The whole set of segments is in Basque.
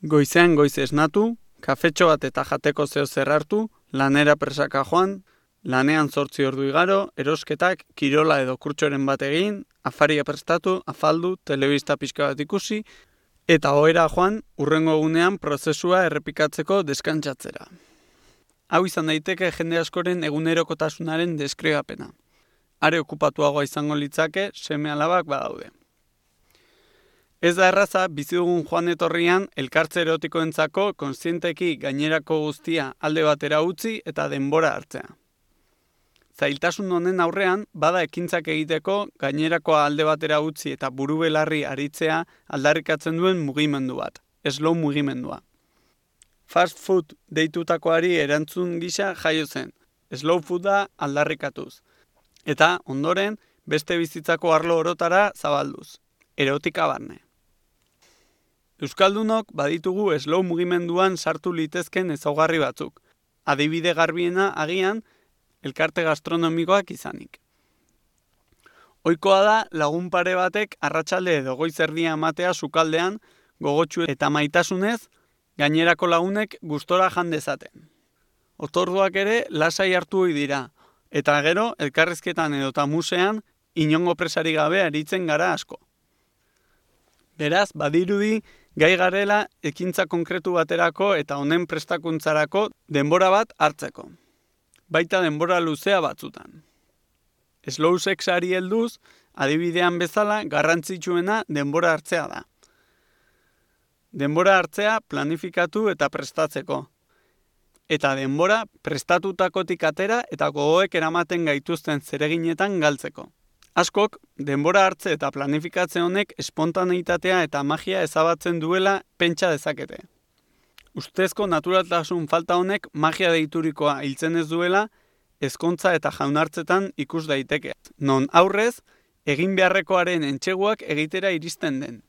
Goizean goiz esnatu, kafetxo bat eta jateko zeo zer hartu, lanera presaka joan, lanean 8 ordu igaro, erosketak, kirola edo kurtsoren bat egin, afaria prestatu, afaldu, telebista pixka bat ikusi, eta ohera joan, hurrengo egunean prozesua errepikatzeko deskantzatzera. Hau izan daiteke jende askoren egunerokotasunaren deskribapena. Are okupatuagoa izango litzake seme-alabak badaude. Ez da erraza, bizi dugun joan etorrian elkartze erotikoentzako kontzienteki gainerako guztia alde batera utzi eta denbora hartzea. Zailtasun honen aurrean, bada ekintzak egiteko gainerakoa alde batera utzi eta buru belarri aritzea aldarrikatzen duen mugimendu bat, slow mugimendua. Fast food deitutakoari erantzun gisa jaio zen, slow fooda aldarrikatuz. Eta, ondoren, beste bizitzako arlo orotara zabalduz, erotika barne. Euskaldunok baditugu slow mugimenduan sartu litezken ezaugarri batzuk. Adibide garbiena agian elkarte gastronomikoak izanik. Ohikoa da lagun pare batek arratsalde edo goiz erdia ematea sukaldean gogotsu eta maitasunez gainerako lagunek gustora jan dezaten. Otorduak ere lasai hartu ohi dira, eta gero elkarrizketan edota musean inongo presari gabe aritzen gara asko. Beraz, badirudi gai garela ekintza konkretu baterako eta honen prestakuntzarako denbora bat hartzeko. Baita denbora luzea batzutan. Slow sexari helduz, adibidean bezala garrantzitsuena denbora hartzea da. Denbora hartzea planifikatu eta prestatzeko. Eta denbora prestatutakotik atera eta gogoek eramaten gaituzten zereginetan galtzeko. Askok, denbora hartze eta planifikatze honek espontaneitatea eta magia ezabatzen duela pentsa dezakete. Ustezko naturaltasun falta honek magia deiturikoa hiltzen ez duela, ezkontza eta jaunartzetan ikus daiteke. Non aurrez, egin beharrekoaren entseguak egitera iristen den.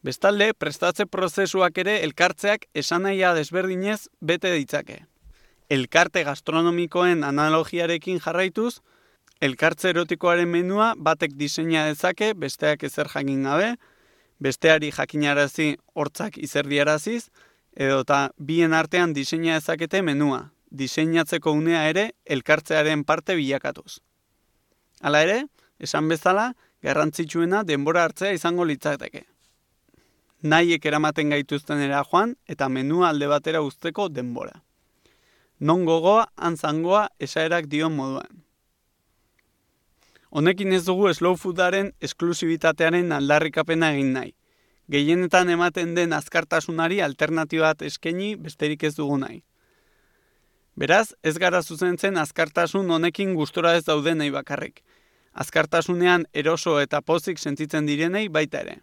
Bestalde, prestatze prozesuak ere elkartzeak esanahia desberdinez bete ditzake. Elkarte gastronomikoen analogiarekin jarraituz, elkartze erotikoaren menua batek diseina dezake, besteak ezer jakin gabe, besteari jakinarazi hortzak izerdiaraziz, edota bien artean diseina dezakete menua, diseinatzeko unea ere elkartzearen parte bilakatuz. Hala ere, esan bezala, garrantzitsuena denbora hartzea izango litzateke. Nahiek eramaten gaituztenera joan eta menua alde batera uzteko denbora. Non gogoa, antzangoa esaerak dion moduan. Honekin ez dugu slow foodaren esklusibitatearen aldarrikapena egin nahi. Gehienetan ematen den azkartasunari alternatiba bat eskaini besterik ez dugu nahi. Beraz, ez gara zuzentzen azkartasun honekin gustora ez daudenei bakarrik. Azkartasunean eroso eta pozik sentitzen direnei baita ere.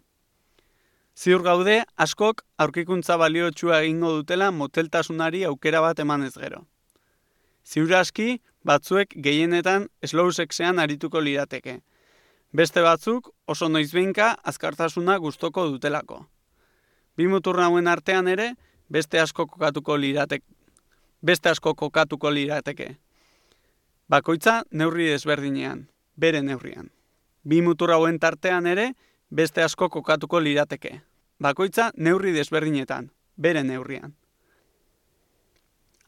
Ziur gaude, askok aurkikuntza baliotsua egingo dutela moteltasunari aukera bat emanez gero. Ziur aski, batzuek gehienetan slow sexean arituko lirateke. Beste batzuk oso noizbehinka azkartasuna gustoko dutelako. Bi mutur hauen artean ere beste asko kokatuko lirateke. Bakoitza neurri desberdinean, bere neurrian. Bi mutur hauen tartean ere beste asko kokatuko lirateke. Bakoitza neurri desberdinetan, bere neurrian.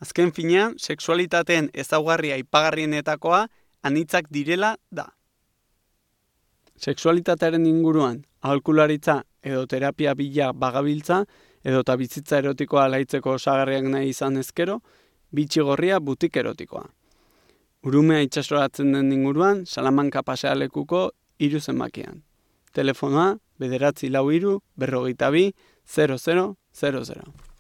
Azken finean, sexualitateen ezaugarria aipagarrienetakoa anitzak direla da. Sexualitatearen inguruan, aholkularitza edo terapia bila bagabiltza edota bizitza erotikoa alaitzeko osagarriak nahi izan ezkero, bitxigorria butik erotikoa. Urumea itsasoratzen den inguruan, Salamanca pasealekuko 3 zenbakian. Telefonoa 943 42 0000.